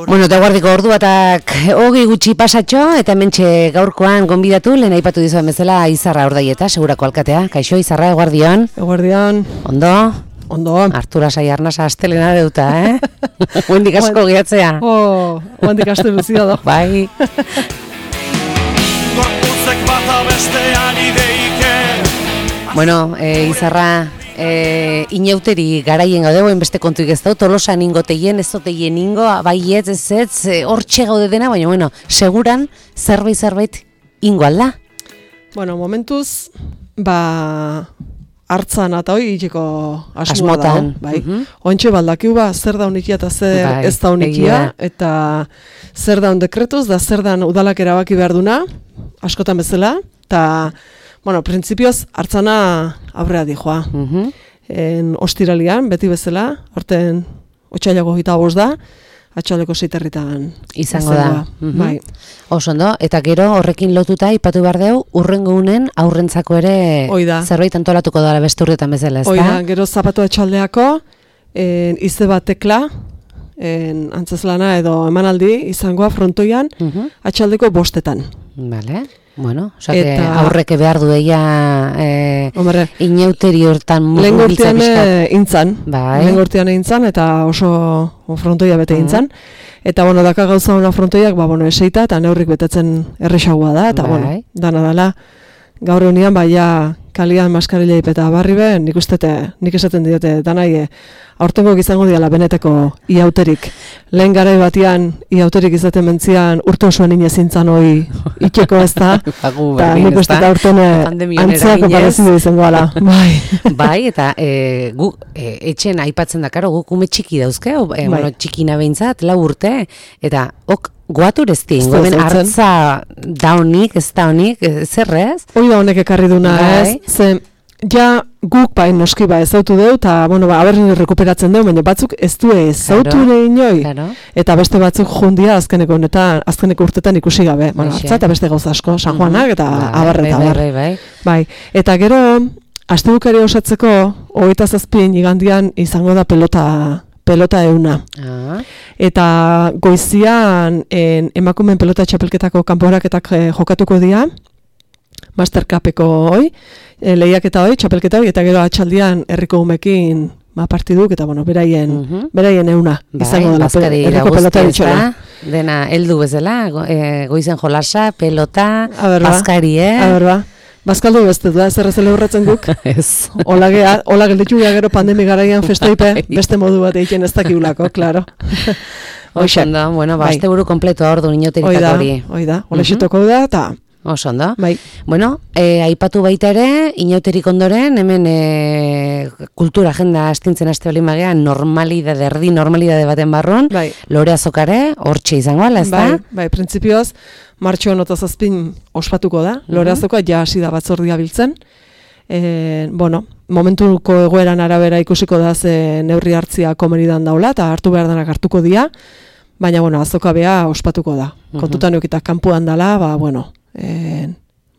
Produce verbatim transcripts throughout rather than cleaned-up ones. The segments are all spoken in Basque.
Bueno, eta guardiko ordu batak hogi gutxi pasatxo, eta hementxe gaurkoan gonbidatu, lehen aipatu dizuen bezala Izarra Ordaieta, segurako alkatea. Kaixo, Izarra, eguardion. Eguardion. Ondo? Ondo. Artura Sai Arnasa astelena deuta, eh? Huendik asko gehatzea. Oh, huendik aste bezia da. Bai. Bueno, eh, Izarra, eh, inauteri garaien gaude, boen beste kontuik ez dut, Tolosan ingoteien, ez doteien ingo, bai ez, ez ez, hor txegaude dena, baina, bueno, seguran, zerbait, zerbait, ingo alda? Bueno, momentuz, ba, hartzan eta hoi itxeko asmoa da, bai. Uh-huh. Ointxe baldakiu ba, zer da unikia eta zer bai, ez da unikia, eta zer da dekretuz, da zer da udalak erabaki behar duna, askotan bezala, eta, bueno, printzipioz, hartzana aurrea dijoa. Uh-huh. En ostiralian, beti bezala, horten otxailako gita bost da, atxaldeko zeiterritan izango da. Uh-huh. Bai. Oso ondo, eta gero horrekin lotuta ipatu behar deu, urrengo unen aurrentzako ere Oida. Zerbait antolatuko dara beste urtetan bezala, ez da? Oida, gero zapatu atxaldeako, en, ize bat tekla, en, antzeslana edo emanaldi izangoa frontoian, uh-huh. atxaldeko bostetan. Vale. Bueno, oza, eta aurreke behar dueia eh, inauteri hortan mugibiltza bizkat. Lehen intzan, bai. Lehen gortean intzan, eta oso frontoia bete uh-huh. intzan. Eta, bueno, daka gauza hona frontoiak, ba, bueno, eseita, eta neurrik betetzen erresagoa da, eta, bai. Bueno, dana dala, gaur egunean, baia kalian maskarila ipeta barri be, nik ustete, nik esaten diote, danai, aurtengo izango diala beneteko iauterik. Lehen garai batian iauterik izaten mentzian urte osoan inezintzan hoi itxeko ez da, eta nik ustete aurtene antzeako parezidu izango ala. Bai. Bai, eta e, gu, e, etxen aipatzen dakaro, guk ume txiki dauzke, e, bai. Bueno, txikina behintzat, lau urte, eta ok, guatur ez din, gomen hartza daunik, ez daunik, zer ez? Hoi da honek ekarri duna, ez? Ze, ja guk bai noski ba ezautu deu, eta, bueno, ba, aberrin rekuperatzen deu, baina batzuk ez du ezautu claro, inoi, claro. Eta beste batzuk jundia azkeneko honetan, azkeneko urtetan ikusi gabe, bueno, hartza eta beste gauza asko, San Juanak eta uh-huh. abarre eta abar. Bai, bai, bai. Eta gero, astebukari osatzeko, hogeita zazpin igandian izango da pelota pelota euna. Ah. Eta goizian en, emakumeen pelota txapelketako kanporaketak eh, jokatuko dira, Mastercupeko hoi, e, lehiaketa hoi, txapelketa hoi, eta gero atxaldian herriko umekin ma partiduk, eta bueno, beraien, uh-huh. beraien euna. Bai, izango dela, pe, herriko pelota ditxola. Dena, heldu bezala, go, e, goizen jolasa, pelota, bazkari, eh? Aberba. Bazkaldu beste du, ez errezele horretzen guk. Ez. Ola gelditu gero pandemi garaian festaipe, beste modu bat egiten ez dakiulako, klaro. Oixanda, bueno, ba, azte buru kompletoa ordu inoteritako hori. Oida, ola xetoko da, eta... Oso ondo. Bai. Bueno, e, aipatu baita ere, inauterik ondoren, hemen e, kultura agenda astintzen aste bali magea, normalidade, erdi normalidade baten barrun, bai. Lore Azokare, hortxe izango ala, ez da? Bai, bai, printzipioz, martxoan otazazpin ospatuko da, uh-huh. Lore Azoka ja hasi da batzordia biltzen, e, bueno, momentuko egoeran arabera ikusiko da ze neurri hartzia komenidan daula, eta hartu behar denak hartuko dia, baina, bueno, Azoka bea ospatuko da. Uh-huh. Kontutan eukitak kanpoan dala, ba, bueno, Eh,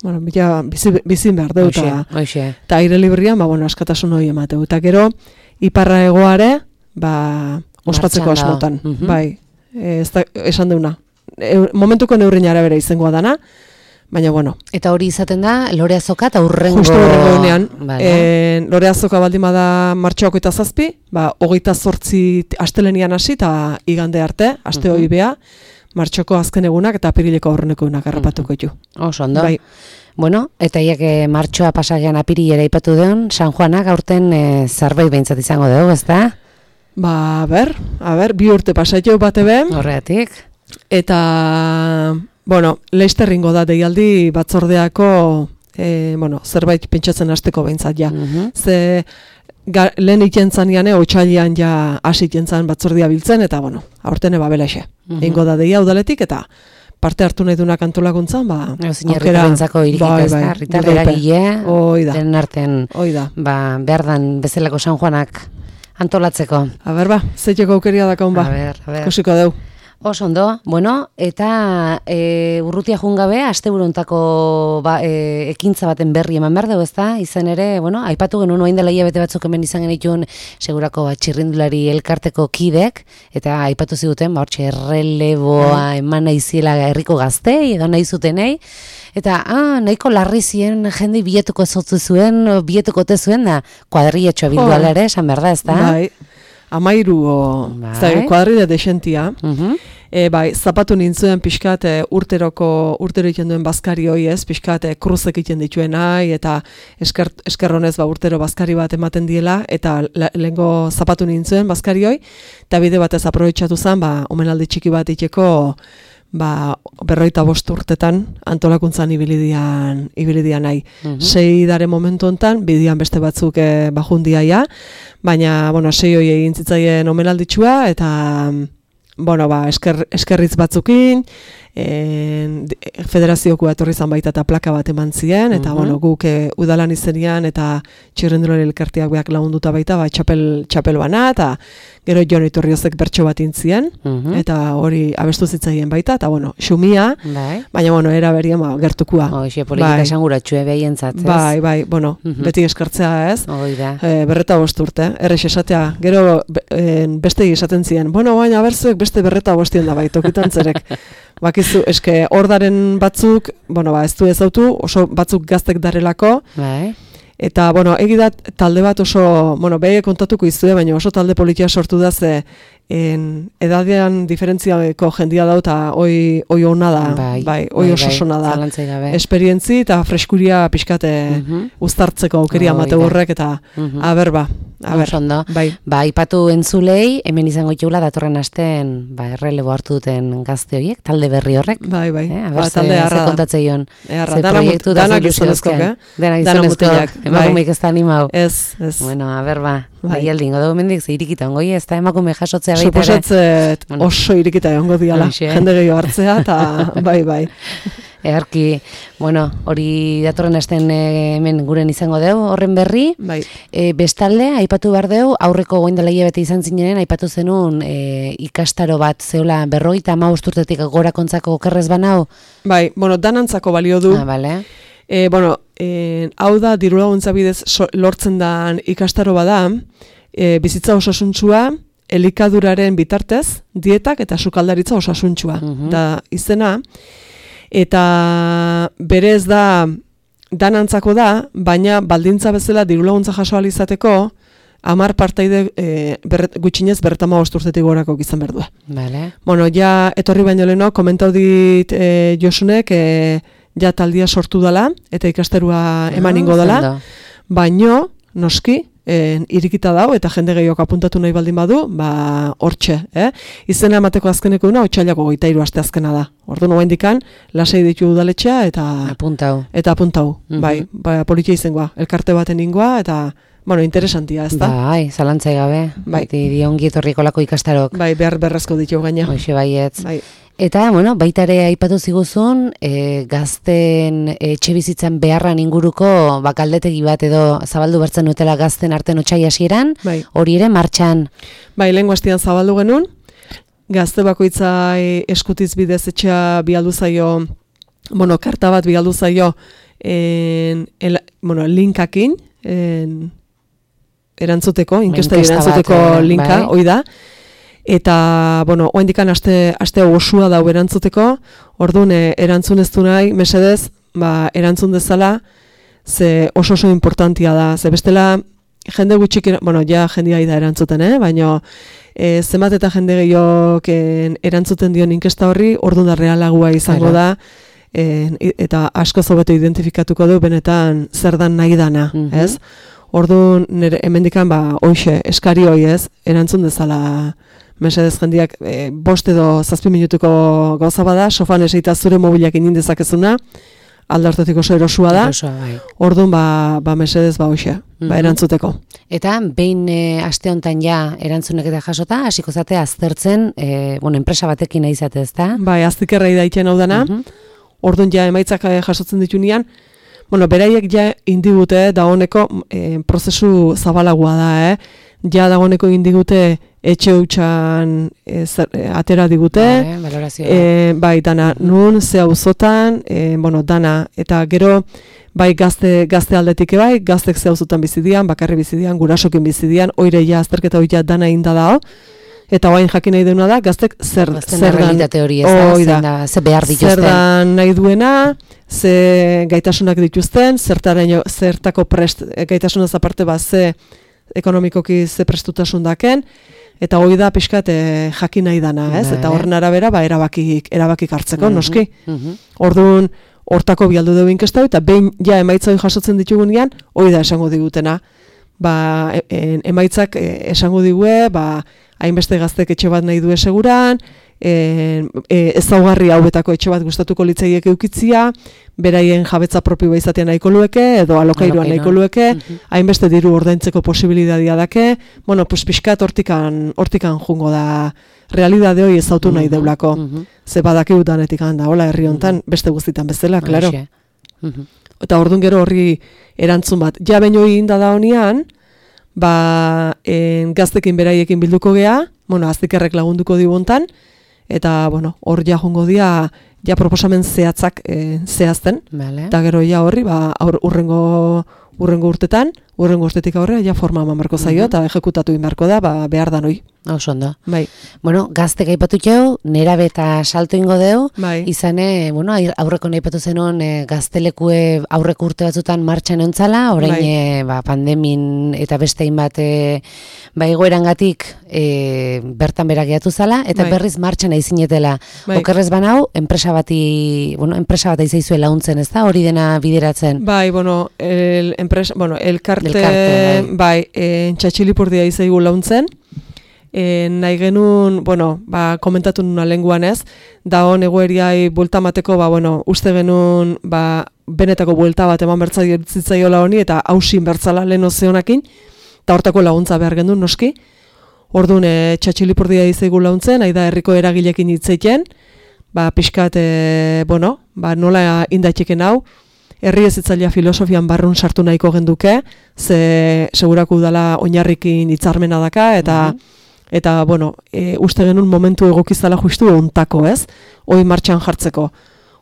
bueno, bila bizi, bizin behar deu eta aire librian, ba, bueno, askatasun hori emateu. Eta gero, iparra egoare, ba, ospatzeko asmotan. Uh-huh. Bai, e, ez da, esan deuna. E, momentuko neurrin arabera izangoa dana, baina, bueno. Eta hori izaten da, Lore Azoka eta urrengo... Justo urrengo enean. Vale. E, Lore Azoka baldin bada martxoako eta zazpi, ba, hogeita zortzi astelenian hasi eta igande arte, aste uh-huh. hori bea, martxoko azken egunak eta apirileko aurreneko egunak harrapatuko ju. Oso ondo. Bai. Bueno, eta iak martxoa pasagean apirilera ipatu deun, San Juanak aurten e, zerbait behintzat izango dugu, ez da? Ba, a ber, a ber, bi urte pasatio bate be. Horregatik. Eta, bueno, leisterringo da deialdi batzordeako, e, bueno, zerbait pentsatzen hasteko behintzat ja. Uh-huh. Ze... Ga, lehen ikentzan jane, otxailian ja hasi ikentzan batzordia biltzen, eta, bueno, aurtene babelaxe. Uh-huh. Eingo da deia udaletik, eta parte hartu nahi dunak antolakuntzan, ba, aukera... Zinarriko irikita ez da, Ritar eragile, den arten, Oida. Ba, behar dan bezalako San Juanak antolatzeko. A ber, ba, zeiteko aukeria dakon, ba, a ber, a ber. Kusiko deu. Oso ondo, bueno, eta e, urrutia jungabe, asteburuntako ba, e, ekintza baten berri eman behar dugu, ezta? Izan ere, bueno, aipatu genuen oain dela hilabete batzuk hemen izan genituen segurako ba, txirrindulari elkarteko kidek, eta aipatu ziguten, ba, hortxe, erreleboa eman nahiziela herriko gaztei, edo nahi zutenei, eta ah, nahiko larri ziren jende biletuko ezotzu zuen, biletuko te zuen, da, kuadrilletxoa bilduala ere, esan behar da, ezta? Bai. Amairu, bai. Kuadrilla desentia. Uh-huh. E, bai, zapatu nintzuen pixkat e, urteroko, urtero egiten duen bazkari hoi ez, pixkat e, kruzek egiten dituen nahi, eta esker, eskerronez ba, urtero bazkari bat ematen diela, eta lehengo zapatu nintzuen bazkari hoi, eta bide batez aprobetxatu zen, ba, omenaldi txiki bat iteko, ba, berroita bost urtetan antolakuntzan ibilidian, ibilidian nahi. Uh-huh. Sei dare momentu hontan, bidian beste batzuk e, bajundiaia, baina, bueno, sei hoi egin zitzaien omenalditxua, eta, bueno, ba, esker, eskerritz batzukin, en, federazioko etorri izan baita eta plaka bat eman zien, eta, uh-huh. bueno, guk e, udalan izenian, eta txirrendulari elkarteak beak lagunduta baita, ba, txapel, txapel bana, eta gero Jon Iturriozek bertso bat intzien, uh-huh. eta hori abestu zitzaien baita, eta, bueno, xumia, bai. Baina, bueno, era berien, ba, gertukua. Hoxe, politika bai. Esanguratxue behientzat, ez? Bai, bai, bueno, uh-huh. beti eskartzea, ez? Hoi da. E, berreta bost urte, errex esatea, gero e, beste esaten ziren, bueno, baina berzuek beste berreta bostien da bai, tokitan zerek. Bakizu, eske ordaren batzuk, bueno, ba, ez du ezautu, oso batzuk gaztek darelako, bai. Eta, bueno, egidat talde bat oso, bueno, behe kontatuko izue, baina oso talde politia sortu da ze en, edadean diferentziako jendia dau eta oi, oi hona da, bai, bai, oi bai, oso bai, sona da. Esperientzi eta freskuria pixkate uh-huh. uztartzeko aukeria mate horrek eta uh-huh. aberba. Aber, bai. Ba, ipatu entzulei, hemen izango itxula datorren astean, ba, errelebo hartu duten gazte horiek, talde berri horrek. Bai, bai. Eh, ba, talde harra da. Kontatzeion. Erra, dana gizonezkok, eh? Dana gizonezkok. Emakumeik ez da animau. Ez, ez. Bueno, a ber, ba. Bai, aldin, godo mendik, ze irikita ongoi, ez da emakume jasotzea baita ere. Suposatzet bueno. Oso irikita ongo diala. Jende gehiago hartzea, eta bai, bai. Earki, bueno, hori datorren asten e, hemen guren izango deu, horren berri. Bai. E, bestalde, aipatu behar deu, aurreko goindela hilabete izan zinenen, aipatu zenun e, ikastaro bat zeola berrogeita hamabost urtetik gora kontzako okerrez banau? Bai, bueno, danantzako balio du. Ah, bale. E, bueno, e, hau da, diru laguntza bidez so, lortzen dan ikastaro bada, e, bizitza osasuntsua, elikaduraren bitartez, dietak eta sukaldaritza osasuntsua. Uh-huh. Da, izena, eta berez da danantzako da, baina baldintza bezala diru laguntza jaso ahal izateko hamar partaide e, berret, gutxinez berretama osturtetik gorako izan behar du. Vale. Bueno, ja etorri baino leheno, komentau dit e, Josunek e, ja taldia sortu dela, eta ikasterua eman ingo dela, baino, noski, En, irikita dau eta jende gehiok apuntatu nahi baldin badu, ba hortxe, eh? Izena emateko azkeneko duna otsailako hogeita hiru aste azkena da. Orduan oraindikan lasai ditu udaletxea eta apuntau. Eta apuntau. Uh-huh. Bai, ba politia izangoa, elkarte baten ingoa eta bueno, interesantia, ezta? Bai, zalantzai gabe. Bai, di ongi etorriko lako ikastarok. Bai, behar berrezko ditu gaina. Hoxe baietz. Bai. Eta, bueno, baita ere aipatu ziguzun, e, gazten etxe bizitzan beharran inguruko bakaldetegi bat edo zabaldu bertzen dutela gazten arten otsai hasieran, bai. Hori ere martxan. Bai, lehengo astean zabaldu genuen, gazte bakoitzai eskutiz bidez etxea bialdu zaio, bueno, karta bat bialdu zaio, en, el, bueno, linkakin, en, erantzuteko, inkesta erantzuteko bat, linka, bai. Hoi da. Eta, bueno, oendikan aste, aste osua dau erantzuteko, orduan erantzun ez du nahi, mesedez, ba, erantzun dezala, ze oso oso importantia da, ze bestela, jende gutxik, bueno, ja jendia da erantzuten, eh? Baina, e, zenbat eta jende gehiok erantzuten dion inkesta horri, orduan da realagua izango Era. da, e, eta asko zobeto identifikatuko du, benetan zer dan nahi dana, mm-hmm. ez? Orduan, nire hemendikan, ba, oixe, eskari hoi ez, erantzun dezala, mesedez jendiak e, bost edo zazpi minutuko gauza bada, sofan eseita zure mobilak inin dezakezuna, aldartetik oso erosua da, bai. Orduan ba, ba mesedez ba hoxe, mm-hmm. ba erantzuteko. Eta behin e, aste hontan ja erantzunek eta jasota, hasiko zate aztertzen, e, bueno, enpresa batekin nahi zate, ezta? Bai, aztikerrei daiten hau dana, mm-hmm. Orduan ja emaitzak jasotzen ditunean, bueno, beraiek ja indigute dagoeneko e, prozesu zabalagoa da, eh? Ja dagoeneko indigute etxe hutsan e, e, atera digute, e, bai, dana nun, ze auzotan, e, bueno, dana, eta gero, bai, gazte, gazte aldetik bai, gaztek ze auzotan bizidian, bakarri bizidian, gurasokin bizidian, oire ja, azterketa oia dana inda dao, eta oain jakin nahi duena da, gaztek zer, zer dan, da, ze behar dituzten. Zer dan nahi duena, ze gaitasunak dituzten, zertaraino, zertako prest, gaitasunaz aparte ba, ze ekonomikoki ze prestutasun daken, eta hori da pixkat e, jakin nahi dana, ez? Eta horren arabera, ba, erabakik, erabakik hartzeko, noski. Orduan, hortako bialdu dugu inkestau, eta behin ja emaitzai jasotzen ditugunean, hori da esango digutena. Ba, e, emaitzak e, esango digue, ba, hainbeste gaztek etxe bat nahi du seguran, e, e, ezaugarri hauetako etxe bat gustatuko litzaiek eukitzia, beraien jabetza propio izatea nahiko lueke, edo alokairuan nahiko lueke, hainbeste diru ordaintzeko posibilitatea dake, bueno, pues pixkat hortikan, hortikan jungo da, realidade hori ezautu nahi deulako. Ze badakigu danetik handa, hola herri hontan, beste guztitan bezala, klaro. Eta orduan gero horri erantzun bat. Ja baino inda da honean, ba, en, gaztekin beraiekin bilduko gea, bueno, aztikerrek lagunduko dibontan, eta, bueno, hor ja jongo dia, ja proposamen zehatzak e, zehazten, eta gero ja horri, ba, aur, urrengo, urrengo urtetan, urrengo urtetik aurrea, ja forma eman beharko zaio, eta ejekutatu inbarko da, ba, behar da noi. Oso ondo. Bai. Bueno, gaztek aipatu jau, nerabe eta salto ingo deu, bai. Izane, bueno, aurreko aipatu zenuen e, gaztelekue aurreko urte batzutan martxan eontzala, orain bai. e, ba, pandemin eta bestein bat e, ba, egoerangatik e, bertan berak gehiatu zala, eta bai. Berriz martxan aizinetela. Bai. Okerrez banau, enpresa bati, bueno, enpresa bat aizaizue launtzen, ez da, hori dena bideratzen? Bai, bueno, el, enpresa, bueno, elkarte, elkarte bai, bai e, txatxilipurdia izaigu launtzen, E, nahi genuen, bueno, ba, komentatu nuna lenguan ez, da hon egoeriai buelta mateko, ba, bueno, uste genuen, ba, benetako buelta bat eman bertzitzaiola honi, eta hausin bertzala lehen ozeonakin, eta hortako laguntza behar genuen, noski. Orduan, e, txatxilipurdia izaigu launtzen, nahi da herriko eragilekin hitzeiten, ba, pixkat, e, bueno, ba, nola indaitxeken hau, herri ezitzailea filosofian barrun sartu nahiko genduke, ze segurako udala oinarrikin hitzarmena daka, eta mm-hmm. Eta, bueno, e, uste genuen momentu egokizala justu ontako, ez? Hoi martxan jartzeko.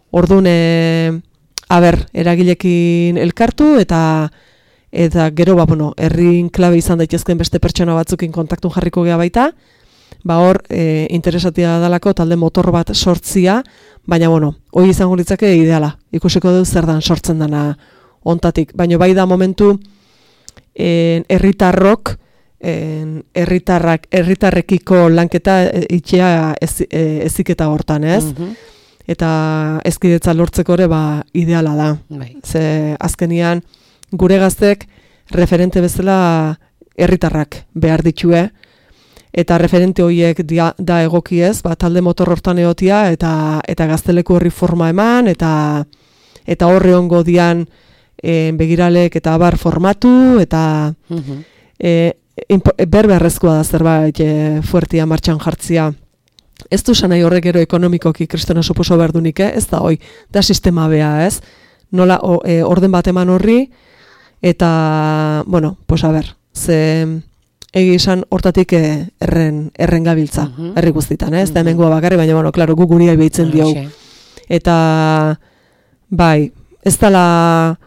Orduan, e, aber, eragilekin elkartu, eta eta gero, ba, bueno, herrin klabe izan daitezken beste pertsona batzukin kontaktun jarriko gea baita, ba, hor, e, interesatia dalako talde motor bat sortzia, baina, bueno, hoi izango litzake ideala. Ikusiko du zer dan sortzen dana ontatik. Baina, bai da momentu, herritarrok, herritarrak herritarrekiko lanketa itxea ez, eziketa hortan, ez? Mm-hmm. Eta ezkidetza lortzeko ere ba ideala da. Bai. Ze azkenian gure gaztek referente bezala herritarrak behar ditue, eta referente horiek dia, da egokiez, ba, talde motor hortan egotia, eta eta gazteleku horri forma eman, eta eta horre ongo dian e, begiralek eta abar formatu, eta mm-hmm. e, berberrezkoa da zerbait e, fuertia martxan jartzia. Ez du sanai horrek ero ekonomikoki kristona suposo behar dunik, eh? Ez da hoi, da sistema bea, ez? Nola o, e, orden bat eman horri, eta, bueno, pues a ber, ze egi izan hortatik e, erren, erren gabiltza, uh-huh. herri guztitan, eh? Ez da hemengoa bakarri, baina, bueno, klaro, gu guriai behitzen diau. Eta, bai, ez dala...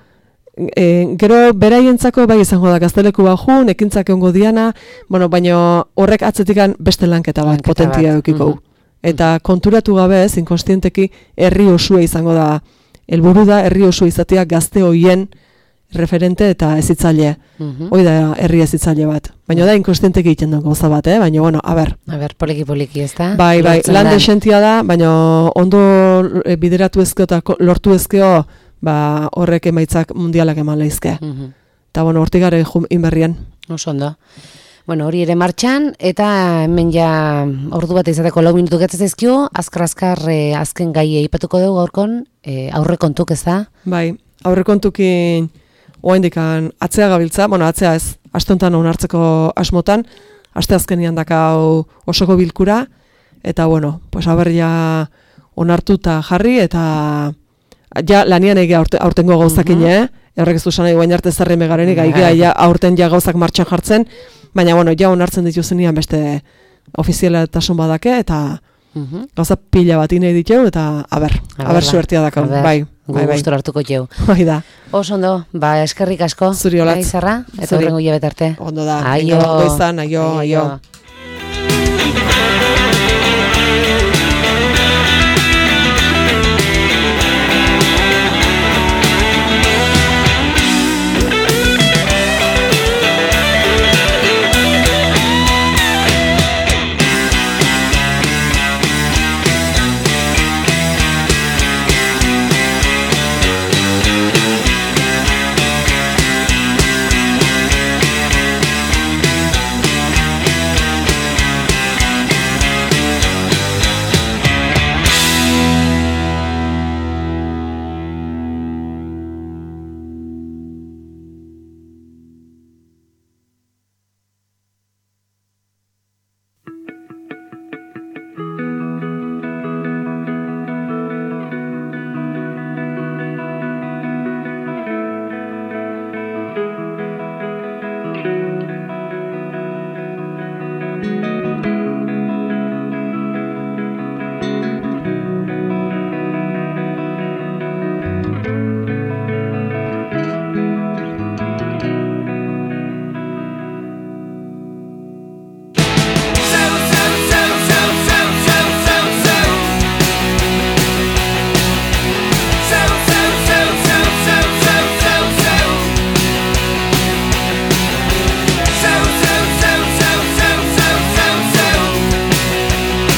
E, gero beraientzako bai izango da gazteleku bajun, ekintzak egongo diana, bueno, baina horrek atzetikan beste lanketa bat, lanketa potentia eukiko. Mm-hmm. Eta konturatu gabe ez, inkonstienteki herri osua izango da, helburu da herri osua izatea gazte hoien referente eta ezitzaile. Mm-hmm. Hoi da herri ezitzaile bat. Baina da inkonstienteki egiten duen gauza bat, eh? Baina, bueno, a ber. A ber, poliki-poliki ez da? Bai, bai, lan desentia da, baina ondo bideratu ezkeo eta lortu ezkeo, ba, horrek emaitzak mundialak eman lehizke. Mm-hmm. Eta, bueno, hortik gare inberrian. Oso ondo. Bueno, hori ere martxan, eta hemen ja ordu bat izateko lau minutu gatzaz ezkio, azkar-azkar e, azken gai eipatuko dugu gaurkon, e, aurre kontuk ez da? Bai, aurre kontukin oaindikan atzea gabiltza, bueno, atzea ez, astontan onartzeko asmotan, aste azkenian dakau osoko bilkura, eta, bueno, pues haber ja onartuta jarri, eta ja lanian egia aurte, aurtengo gauzakin, uh-huh. eh? Horrek ez du sanai guain arte zerri megarenik, egia ja aurten ja gauzak martxan jartzen, Baina, bueno, ja onartzen dituzenean beste ofizialetasun badake, eta Mhm. gauza pila bat inei ditu, eta aber, aber suertia dakon, bai. Bai, bai. Gustora hartuko jau. Bai da. Oso ondo, ba, eskerrik asko. Zuri olatz. Izarra, eta horrengo hilabet arte. Ondo da. Aio. Goizan, aio, aio. aio.